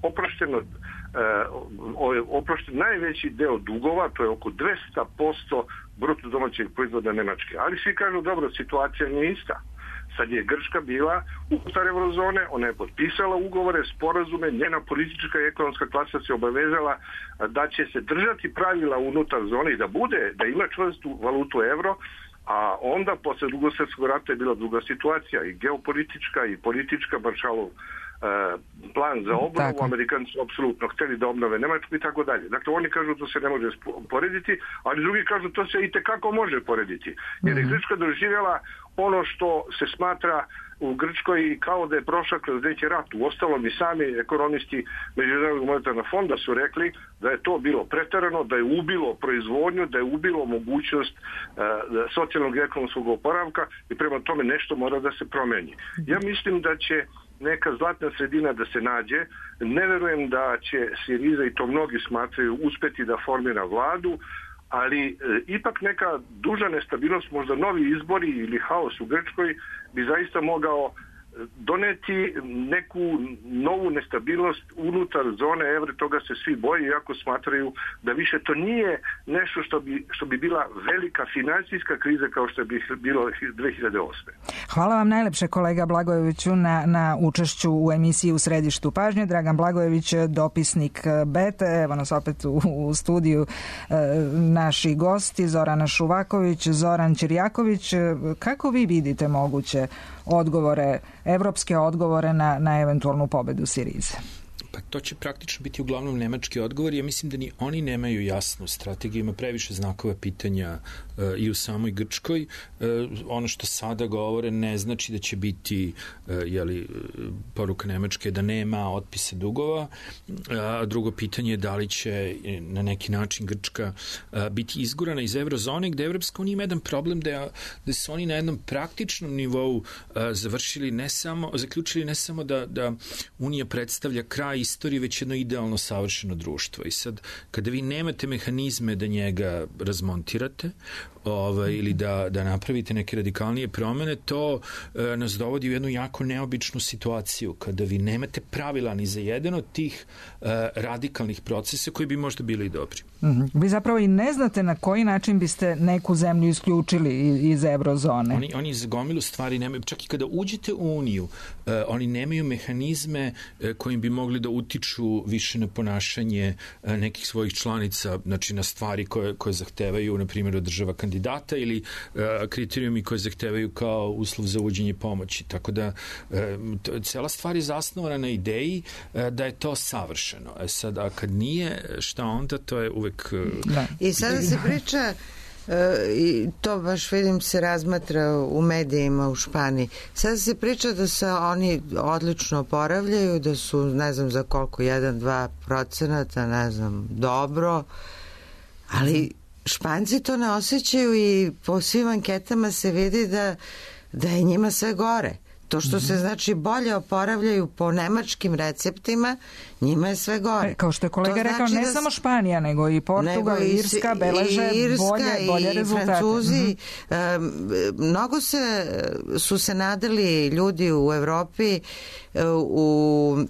oprošten najveći deo dugova, to je oko 200% bruto domaćeg proizvoda Nemačke. Ali svi kažu, dobro, situacija nije ista. Sad je Grčka bila unutar eurozone, ona je potpisala ugovore, sporazume, njena politička i ekonomska klasa se obavezala da će se držati pravila unutar zone i da ima čvrstu valutu evro, a onda posle Drugog svjetskog rata je bila druga situacija, i geopolitička i politička, Marshallov plan za obnovu, Amerikanci su apsolutno hteli da obnove Nemačku i tako dalje. Dakle, oni kažu to se ne može porediti, ali drugi kažu to se i tekako može porediti. Jer je Grčka doživjela ono što se smatra u Grčkoj kao da je prošla kroz neki rat. Uostalom i sami ekonomisti Međunarodnog monetarnog fonda su rekli da je to bilo preterano, da je ubilo proizvodnju, da je ubilo mogućnost socijalnog i ekonomskog oporavka i prema tome nešto mora da se promeni. Ja mislim da će neka zlatna sredina da se nađe. Ne verujem da će Siriza, i to mnogi smatraju, uspeti da formira vladu, ali ipak neka duža nestabilnost, možda novi izbori ili haos u Grčkoj bi zaista mogao doneti neku novu nestabilnost unutar zone evra. Toga se svi boje, iako smatraju da više to nije nešto što bi bila velika finansijska kriza kao što bi bilo 2008. Hvala vam najlepše, kolega Blagojeviću, na učešću u emisiji U središtu pažnje. Dragan Blagojević, dopisnik BETE, evo nas opet u studiju naši gosti, Zorana Šuvaković, Zoran Ćirjaković. Kako vi vidite moguće odgovore, evropske odgovore na eventualnu pobedu Sirize? Pa to će praktično biti uglavnom nemački odgovor. Ja mislim da ni oni nemaju jasnu strategiju, ima previše znakova pitanja i u samoj Grčkoj. Ono što sada govore ne znači da će biti poruka Nemačke da nema otpisa dugova. A drugo pitanje je da li će na neki način Grčka biti izgurana iz eurozone, gde Evropska unija ima jedan problem da su oni na jednom praktičnom nivou zaključili ne samo da Unija predstavlja kraj istorije, već jedno idealno savršeno društvo. I sad, kada vi nemate mehanizme da njega razmontirate ili da napravite neke radikalnije promene, to nas dovodi u jednu jako neobičnu situaciju, kada vi nemate pravila ni za jedan od tih radikalnih procesa koji bi možda bili i dobri. Vi zapravo i ne znate na koji način biste neku zemlju isključili iz eurozone. Oni za gomilu stvari nemaju, čak i kada uđete u Uniju, oni nemaju mehanizme kojim bi mogli da utiču više na ponašanje nekih svojih članica, znači na stvari koje zahtevaju, na primjer, od država kandidata ili kriterijumi koje zahtevaju kao uslov za uvođenje pomoći. Tako da cela stvar je zasnovana na ideji da je to savršeno. Sad, a kad nije, šta onda, to je uvek... I sada se priča, i to baš vidim se razmatra u medijima u Španiji, sada se priča da se oni odlično oporavljaju, da su, ne znam za koliko, 1-2%, ne znam, dobro, ali Španci to ne osjećaju i po svim anketama se vidi da je njima sve gore. To što se znači bolje oporavljaju po nemačkim receptima, njima je sve gore. Kao što je kolega rekao, ne samo Španija, nego i Portugal, i Irska beleže bolje rezultate. Francuzi, mnogo su se nadali ljudi u Evropi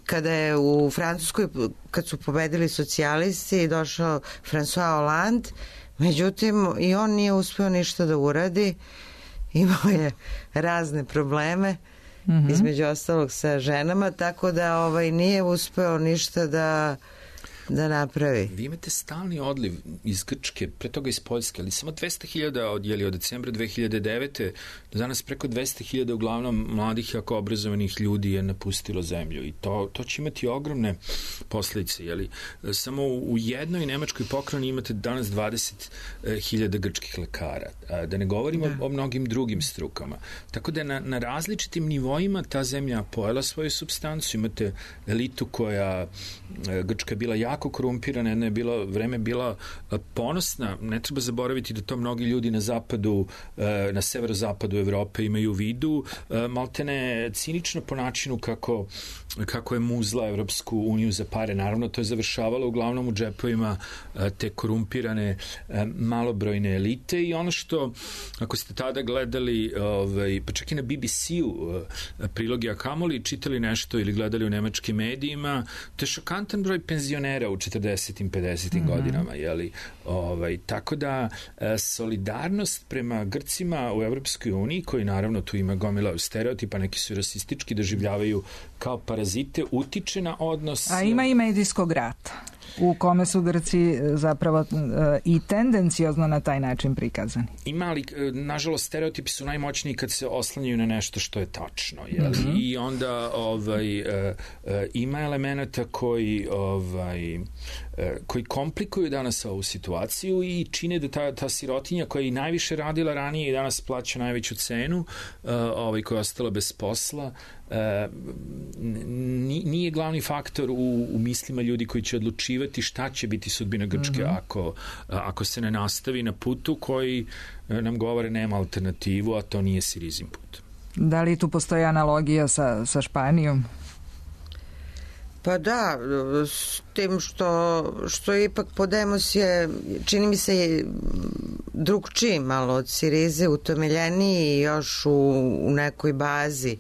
kada je u Francuskoj, kad su pobedili socijalisti, došao François Hollande, međutim i on nije uspeo ništa da uradi, imao je razne probleme, između ostalog sa ženama, tako da nije uspeo ništa da napravi. Vi imate stalni odliv iz Grčke, pre toga iz Poljske, ali samo 200.000 od decembra 2009. do danas preko 200.000 uglavnom mladih, jako obrazovanih ljudi je napustilo zemlju i to će imati ogromne posledice. Samo u jednoj nemačkoj pokrajini imate danas 20.000 grčkih lekara, da ne govorimo o mnogim drugim strukama. Tako da na različitim nivoima ta zemlja pojela svoju supstancu. Imate elitu koja, Grčka je bila jako korumpirana, jedno je vreme bila ponosna. Ne treba zaboraviti da to mnogi ljudi na zapadu, na severozapadu Evrope imaju u vidu, maltene cinično po načinu kako je muzla Evropsku uniju za pare. Naravno, to je završavalo uglavnom u džepovima te korumpirane malobrojne elite i ono što, ako ste tada gledali, pa čak i na BBC-u prilogi, a kamoli čitali nešto ili gledali u nemačkim medijima, to je šokantan broj penzionera u 40. 50. godinama, tako da solidarnost prema Grcima u Evropskoj uniji, koji naravno tu ima gomila stereotipa, neki su rasistički, doživljavaju kao parazite, utiče na odnos. A ima i medijskog rata u kome su Grci zapravo i tendencijozno na taj način prikazani. Ima, ali nažalost stereotipi su najmoćniji kad se oslanjaju na nešto što je tačno. I onda ima elemenata koji komplikuju danas ovu situaciju i čine da ta sirotinja koja je i najviše radila ranije i danas plaća najveću cenu, koja je ostala bez posla, nije glavni faktor u mislima ljudi koji će odlučivati šta će biti sudbina Grčke ako se ne nastavi na putu koji nam govore nema alternativu, a to nije Sirizin put. Da li tu postoji analogija sa Španijom? Pa da, s tim što ipak Podemos je, čini mi se, drugčiji malo od Sirize, utemeljeniji još u nekoj bazi.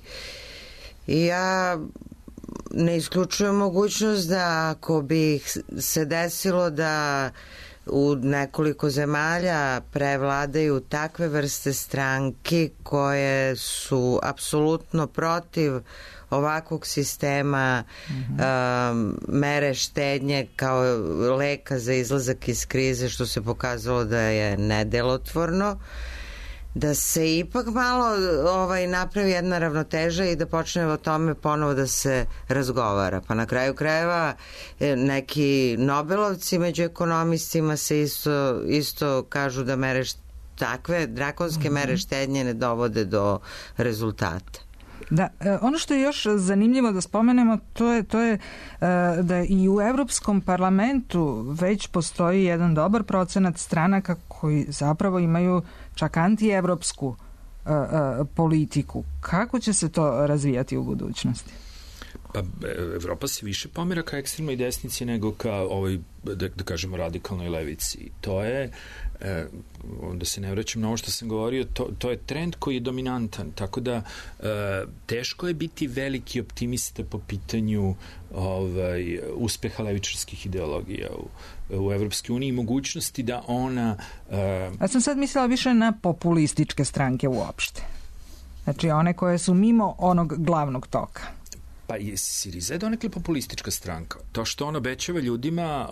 I ja ne isključujem mogućnost da ako bi se desilo da u nekoliko zemalja prevladaju takve vrste stranki koje su apsolutno protiv ovakvog sistema, mere štednje kao leka za izlazak iz krize, što se pokazalo da je nedelotvorno, da se ipak malo napravi jedna ravnoteža i da počne o tome ponovo da se razgovara. Pa na kraju krajeva neki Nobelovci među ekonomistima se isto kažu da takve drakonske mere štednje ne dovode do rezultata. Da, ono što je još zanimljivo da spomenemo, to je da i u Evropskom parlamentu već postoji jedan dobar procenat stranaka koji zapravo imaju čak antievropsku politiku. Kako će se to razvijati u budućnosti? Pa Evropa se više pomera ka ekstremnoj desnici nego ka ovoj, da kažemo, radikalnoj levici. To je, onda se ne vraćam na ovo što sam govorio, to je trend koji je dominantan, tako da teško je biti veliki optimista po pitanju uspeha levičarskih ideologija u Evropskoj uniji i mogućnosti da ona... Ja sam sad mislila više na populističke stranke uopšte. Znači one koje su mimo onog glavnog toka. Pa Siriza je donekle populistička stranka. To što on obećava ljudima,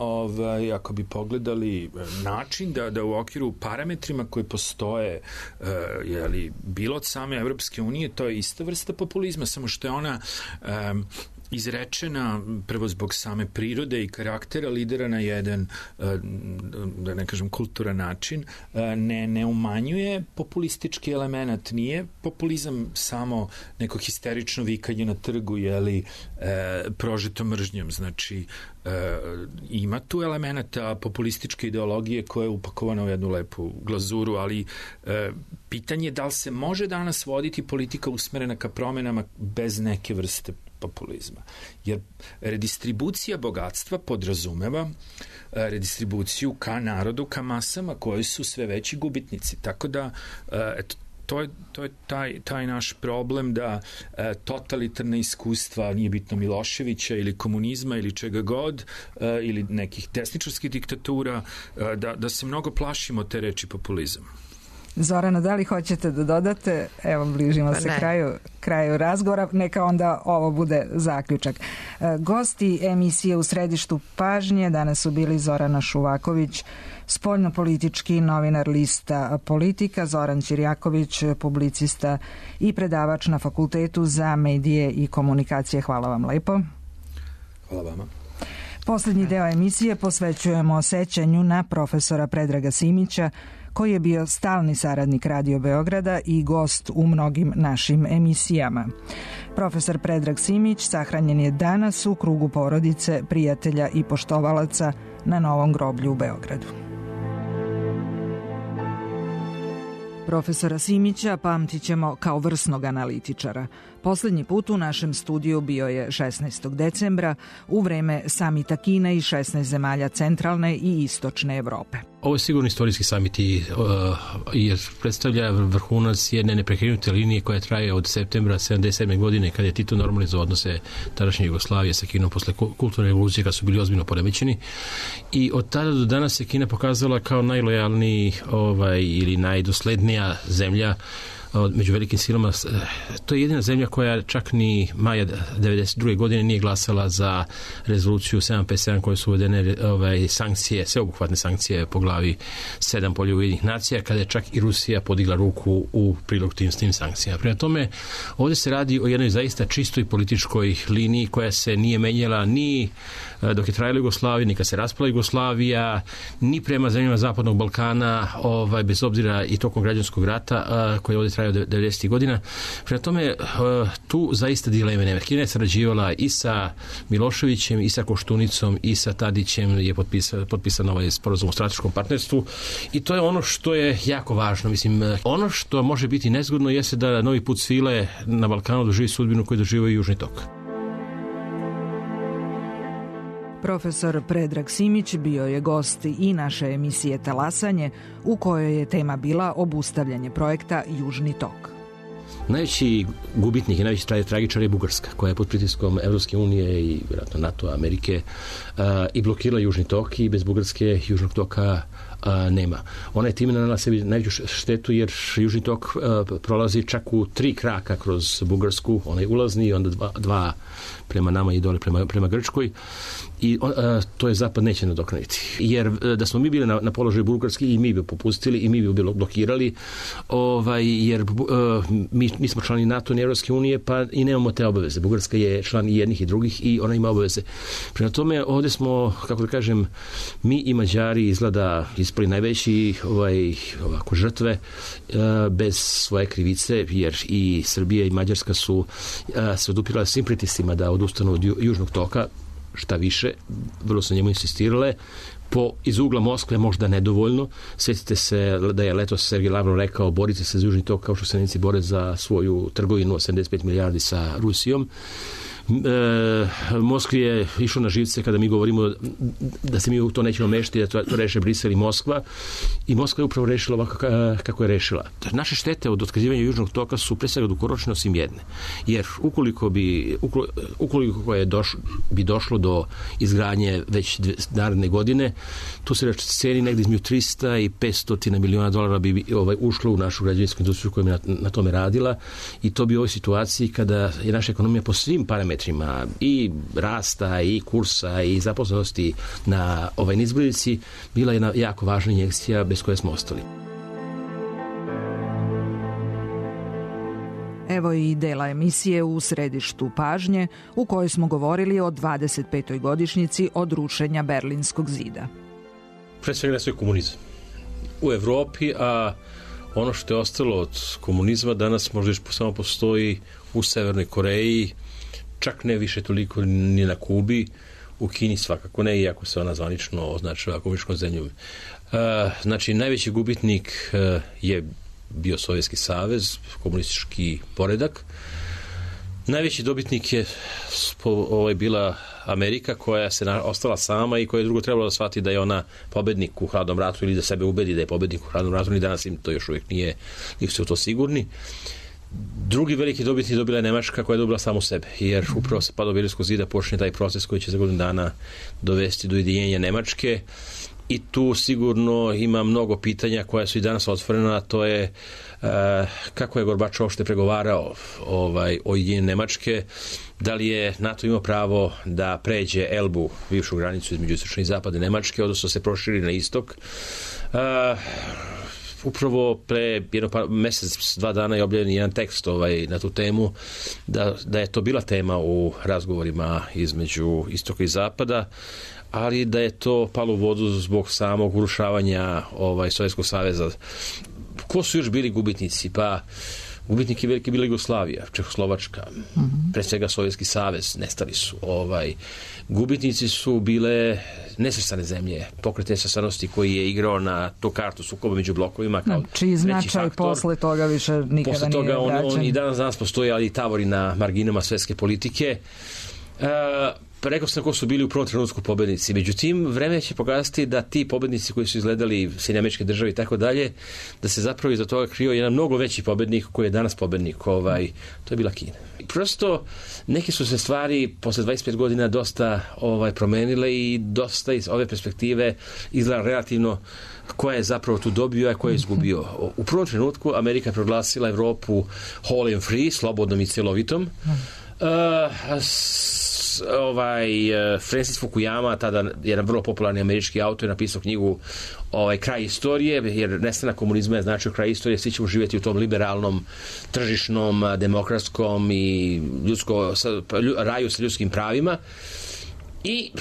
ako bi pogledali način da u okviru parametrima koji postoje, bilo od same Evropske unije, to je ista vrsta populizma, samo što je ona izrečena prvo zbog same prirode i karaktera lidera na jedan, da ne kažem, kulturan način, ne umanjuje populistički element. Nije populizam samo neko histerično vikanje na trgu, prožeto mržnjom. Znači, Ima tu elemenata populističke ideologije koja je upakovana u jednu lepu glazuru, ali pitanje je da li se može danas voditi politika usmerena ka promenama bez neke vrste populizma. Jer redistribucija bogatstva podrazumeva redistribuciju ka narodu, ka masama koji su sve veći gubitnici. Tako da, to je taj naš problem da totalitarna iskustva, nije bitno Miloševića ili komunizma ili čega god, ili nekih desničarskih diktatura, da se mnogo plašimo te reči populizam. Zorana, da li hoćete da dodate? Evo, bližimo se kraju razgovora. Neka onda ovo bude zaključak. Gosti emisije U središtu pažnje danas su bili Zorana Šuvaković, spoljnopolitički novinar lista Politika, Zoran Ćirjaković, publicista i predavač na Fakultetu za medije i komunikacije. Hvala vam lepo. Hvala vama. Poslednji deo emisije posvećujemo sećanju na profesora Predraga Simića, koji je bio stalni saradnik Radio Beograda i gost u mnogim našim emisijama. Profesor Predrag Simić sahranjen je danas u krugu porodice, prijatelja i poštovalaca na Novom groblju u Beogradu. Profesora Simića pamtit ćemo kao vrsnog analitičara. Poslednji put u našem studiju bio je 16. decembra u vreme samita Kine i 16 zemalja centralne i istočne Evrope. Ovo je sigurno istorijski samit jer predstavlja vrhunac jedne neprekrenute linije koja traje od septembra 1977. godine kada je Tito normalizovao odnose tadašnje Jugoslavije sa Kinom posle kulturne revolucije kad su bili ozbiljno poremećeni. I od tada do danas se Kina pokazala kao najlojalniji ili najdoslednija zemlja među velikim silama. To je jedina zemlja koja čak ni maja 1992. godine nije glasala za rezoluciju 757 koje su uvedene sankcije, sveobuhvatne sankcije po glavi 7 Polja Ujedinjenih nacija, kada je čak i Rusija podigla ruku u prilog tim sankcijama. Prema tome, ovdje se radi o jednoj zaista čistoj političkoj liniji koja se nije menjala ni dok je trajala Jugoslavija, ni kad se raspala Jugoslavija, ni prema zemljama Zapadnog Balkana, bez obzira i tokom građanskog rata koji je ovdje trajao 90. godina. Prema tome, tu zaista dileme nema. Kina je sarađivala i sa Miloševićem, i sa Koštunicom, i sa Tadićem, je potpisan ovaj sporazum o strateškom partnerstvu i to je ono što je jako važno. Mislim, ono što može biti nezgodno jeste da novi put svile na Balkanu doživi sudbinu koju doživio i Južni tok. Profesor Predrag Simić bio je gost i naše emisije Talasanje, u kojoj je tema bila obustavljanje projekta Južni tok. Najveći gubitnik i najveći tragičar je Bugarska, koja je pod pritiskom Evropske unije i vjerojatno NATO, Amerike i blokirala Južni tok i bez Bugarske Južnog toka nema. Ona je time nanela sebi najveću štetu jer Južni tok prolazi čak u 3 kraka kroz Bugarsku, onaj ulazni i onda dva prema nama i dole prema Grčkoj i to je Zapad neće nadoknaditi. Jer da smo mi bili na položaju Bugarski i mi bi popustili i mi bi blokirali jer mi smo člani NATO i Evropske unije pa i nemamo te obaveze. Bugarska je član i jednih i drugih i ona ima obaveze. Prema tome ovdje smo, kako da kažem, mi i Mađari izgleda ispali najveći ovako žrtve bez svoje krivice jer i Srbija i Mađarska su se odupirale svim pritiscima da odustanu od Južnog toka, šta više, vrlo su njemu insistirale, iz ugla Moskve možda nedovoljno. Sjetite se da je letos Sergej Lavrov rekao borite se za Južni tok kao što se Nemci bore za svoju trgovinu 85 milijardi sa Rusijom. Moskvi je išlo na živce kada mi govorimo da se mi u to nećemo mešati, da to reše Brisel i Moskva i Moskva je upravo rešila ovako kako je rešila. Naše štete od otkazivanja Južnog toka su pre svega dugoročne osim jedne. Jer ukoliko bi došlo do izgradnje već naredne godine, tu se ceni negdje između 300 i 500 miliona dolara bi ušlo u našu građevinsku industriju koja je na tome radila i to bi u ovoj situaciji kada je naša ekonomija po svim parametrima i rasta i kursa i zaposlenosti na nizbrdici bila jedna jako važna injekcija bez koje smo ostali. Evo i dela emisije U središtu pažnje u kojoj smo govorili o 25. godišnjici od rušenja Berlinskog zida. Pre svega ne sve komunizam u Evropi, a ono što je ostalo od komunizma danas možda još samo postoji u Severnoj Koreji, čak ne više toliko ni na Kubi, u Kini svakako ne, iako se ona zvanično označava komunističkom zemljom. Znači, najveći gubitnik je bio Sovjetski savez, komunistički poredak. Najveći dobitnik je bila Amerika, koja se ostala sama i koja je drugo trebalo da shvati da je ona pobednik u hladnom ratu ili da sebe ubedi da je pobednik u hladnom ratu, ni danas im to još uvijek nisu se u to sigurni. Drugi veliki dobitnik dobila je Nemačka, koja je dobila samu sebe, jer upravo sa padom Berlinskog zida počne taj proces koji će za godinu dana dovesti do ujedinjenja Nemačke. I tu sigurno ima mnogo pitanja koja su i danas otvorena, a to je kako je Gorbačov uopšte pregovarao o ujedinjenju Nemačke, da li je NATO imao pravo da pređe Elbu, bivšu granicu između istočne i zapadne Nemačke, odnosno se proširi na istok. Upravo pre mesec, 2 dana je objavljen jedan tekst na tu temu, da je to bila tema u razgovorima između istoka i zapada, ali da je to palo u vodu zbog samog urušavanja Sovjetskog saveza. Ko su još bili gubitnici? Pa gubitnik je veliki bila Jugoslavija, Čehoslovačka, pre svega Sovjetski savez, nestali su. Gubitnici su bile nesvrstane zemlje, pokret nesvrstanosti koji je igrao na tu kartu sukoba među blokovima kao čiji značaj posle toga više nikada nije vraćan. On i danas postoji, ali i tavori na marginama svetske politike. Rekao sam ko su bili u prvom trenutku pobednici. Međutim, vreme će pokazati da ti pobednici koji su izgledali Sjedinjene Američke Države i tako dalje, da se zapravo iza toga krio jedan mnogo veći pobednik koji je danas pobednik. To je bila Kina. Prosto, neke su se stvari posle 25 godina dosta promenile i dosta iz ove perspektive izgleda relativno ko je zapravo tu dobio, a ko je izgubio. U prvom trenutku Amerika proglasila Evropu whole and free, slobodnom i celovitom. Francis Fukuyama, tada jedan vrlo popularni američki autor, je napisao knjigu Kraj istorije, jer nestanak komunizma je značio kraj istorije, svi ćemo živjeti u tom liberalnom, tržišnom, demokratskom i raju sa ljudskim pravima. I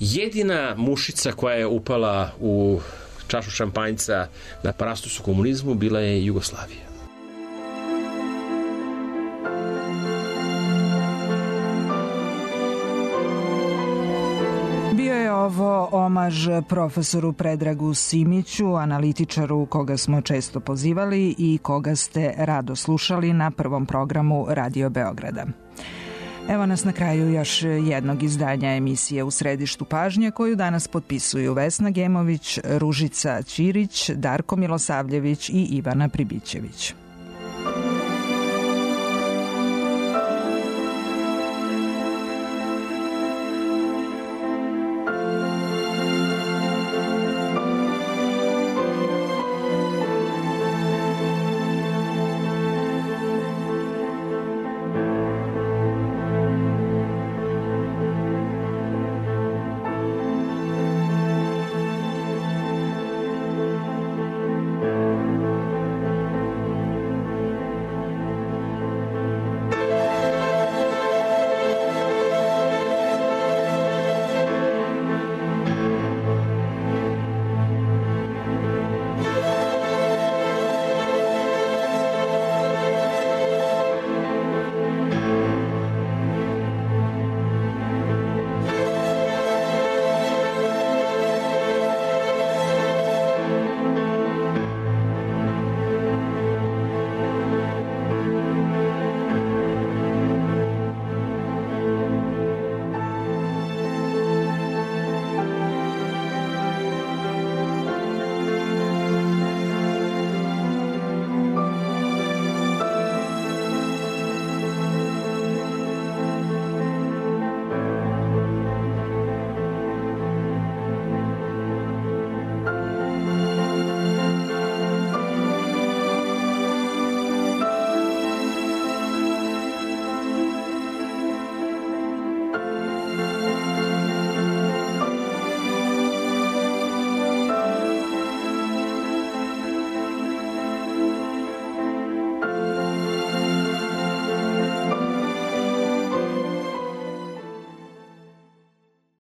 jedina mušica koja je upala u čašu šampanjca na parastosu komunizmu bila je Jugoslavija. Ovo omaž profesoru Predragu Simiću, analitičaru koga smo često pozivali i koga ste rado slušali na prvom programu Radio Beograda. Evo nas na kraju još jednog izdanja emisije U središtu pažnje, koju danas potpisuju Vesna Gemović, Ružica Ćirić, Darko Milosavljević i Ivana Pribićević.